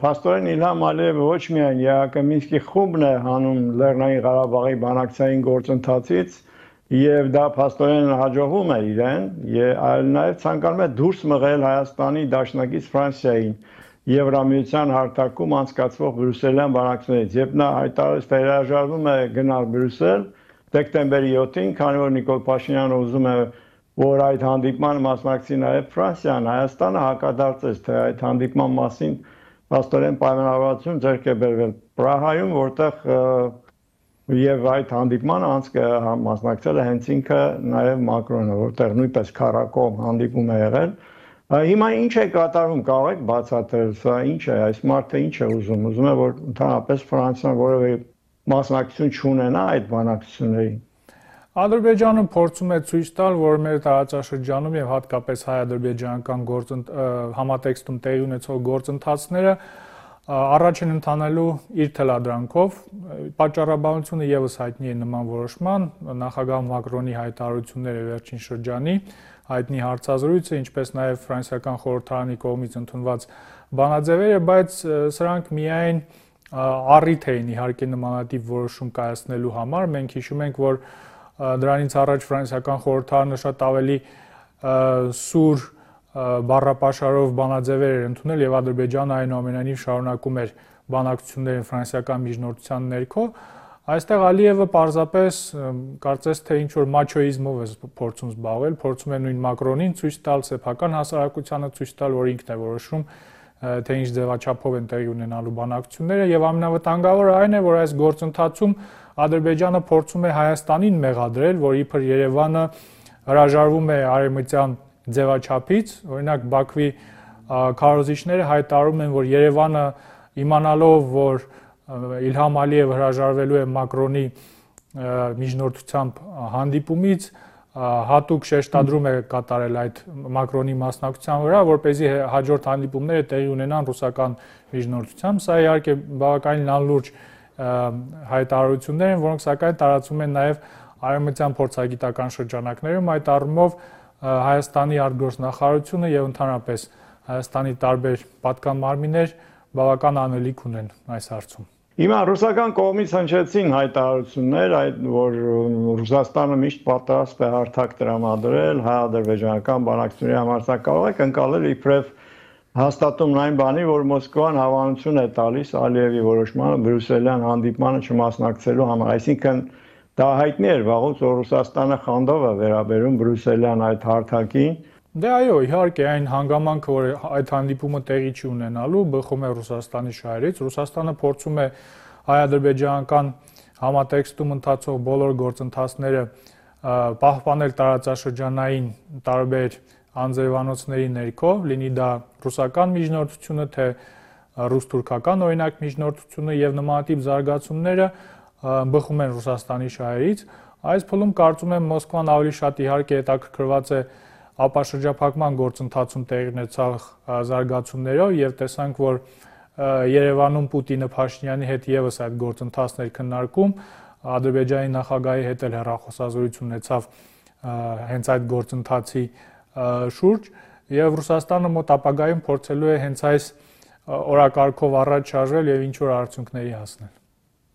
Փաստորեն Իլհամ Ալիևը ոչ միայն ԵԱԿ Մինսկի խումբն է հանում Լեռնային Ղարաբաղի բանակցային գործընթացից եւ դա փաստորեն հաջողվում է իրեն, այլ նաեւ ցանկանում է դուրս մղել Հայաստանի դաշնակից Ֆրանսիային Եվրամիության հարթակում անցկացվող բրյուսելյան բանակցությունից, երբ նա հայտարարեց, թե հրաժարվում է գնալ Բրյուսել դեկտեմբերի 7-ին, քանի որ Նիկոլ Փաշինյանը ուզում է, որ այդ հանդիպման մասնակցի նաև Ֆրանսիան, Հայաստանը հակադարձեց, թե այդ հանդիպման մասին փաստորեն պայմանավորվածություն ձեռք է բերվել Պրահայում, որտեղ եւ այդ հանդիպմանը մասնակցել է հենց ինքը նաև Մակրոնը, որտեղ նույնպես քառակողմ հանդիպում է եղել։ Հիմա ինչ է կատարվում, կարող եք բացատրել, սա ինչ է, այս մարդը ինչ է ուզում է, որ ընդհանրապես Ֆրանսիան որևէ մասնակցություն չունենա այդ բանակցություններին։ Ադրբեջանը փորձում է ցույց տալ, որ մեր տարածաշրջանում եւ հատկապես հայ-ադրբեջանական համատեքստում տեղի ունեցող գործընթացները առաջ են ընթանալու իր թելադրանքով։ Պատճառաբանությունը եւս հայտնի է նման որոշման, նախագահ Մակրոնի հայտարարությունները վերջին շրջանի, հայտնի հարցազրույցը, ինչպես նաեւ ֆրանսիական խորհրդարանի կողմից ընդունված բանաձևերը, բայց սրանք միայն առիթ էին իհարկե նմանատիպ որոշում կայացնելու համար։ Մենք հիշում ենք, որ դրանից առաջ ֆրանսիական խորհրդարանը շատ ավելի սուր բառապաշարով բանաձևեր էր ընդունել եւ Ադրբեջանը այնուամենայնիվ շարունակում էր բանակցությունները ֆրանսիական միջնորդության ներքո։ Այստեղ Ալիևը պարզապես կարծես թե ինչ որ մաչոիզմով է փորձում զբաղվել, փորձում է նույն Մակրոնին ցույց տալ, սեփական հասարակությանը ցույց տալ, որ ինքն է որոշում, թե ինչ ձևաչափով են տեղի ունենալու բանակցությունները եւ ամենավտանգավորը այն է, որ այս գործընթացում Ադրբեջանը փորձում է Հայաստանին մեղադրել, որ իբր Երևանը հրաժարվում է արևմտյան ձևաչափից, օրինակ Բաքվի քարոզիչները հայտարարում են, որ Երևանը իմանալով, որ Իլհամ Ալիևը հրաժարվելու է Մակրոնի միջնորդությամբ հանդիպումից, հատուկ շեշտադրում է կատարել այդ Մակրոնի մասնակցության վրա, որպեսզի հաջորդ հանդիպումները տեղի ունենան ռուսական միջնորդությամբ։ Սա իհարկե բավականին անլուրջ հայտարարություններ են, որոնք սակայն տարածվում են նաև արևմտյան փորձագիտական շրջանակներում, այդ առումով Հայաստանի արտգործնախարարությունը եւ ընդհանրապես Հայաստանի տարբեր պատկան մարմիններ բավական անելիք ունեն այս հարցում։ Հիմա ռուսական կողմից հնչեցին հայտարարություններ, որ Ռուսաստանը միշտ պատրաստ է հարթակ տրամադրել հայ-ադրբեջանական բանակցությունների համար, սա կարող եք ընկալել իբրև հաստատումն այն բանի, որ Մոսկվան հավանություն է տալիս Ալիևի որոշմանը բրյուսելյան հանդիպմանը չմասնակցելու համար, այսինքն դա հայտնի էր վաղուց, որ Ռուսաստանը խանդով է վերաբերում բրյուսելյան այդ հարթակին։ Դե այո, իհարկե այն հանգամանքը, որ այդ հանդիպումը տեղի չի ունենալու, բխում է Ռուսաստանի շահերից։ Ռուսաստանը փորձում է հայ-ադրբեջանական համատեքստում ընթացող բոլոր գործընթացները պահպանել տարածաշրջանային տարբեր անձրևանոցների ներքո, լինի դա ռուսական միջնորդությունը, թե ռուս-թուրքական օրինակ միջնորդությունը եւ նմանատիպ զարգացումները բխում են Ռուսաստանի շահերից։ Այս փուլում կարծում եմ Մոսկվան ավելի շատ իհարկե հետաքրքրված է ապաշրջափակման գործընթացում տեղի ունեցող զարգացումներով եւ տեսանք, որ Երևանում Պուտինը Փաշինյանի հետ եւս այդ գործընթացներ քննարկում, Ադրբեջանի նախագահի հետ էլ հեռախոսազրույց ունեցավ հենց այդ գործընթացի շուրջ եւ Ռուսաստանը մոտ ապագայում փորձելու է հենց այս օրակարգով առաջ շարժվել եւ ինչ որ արդյունքների հասնել։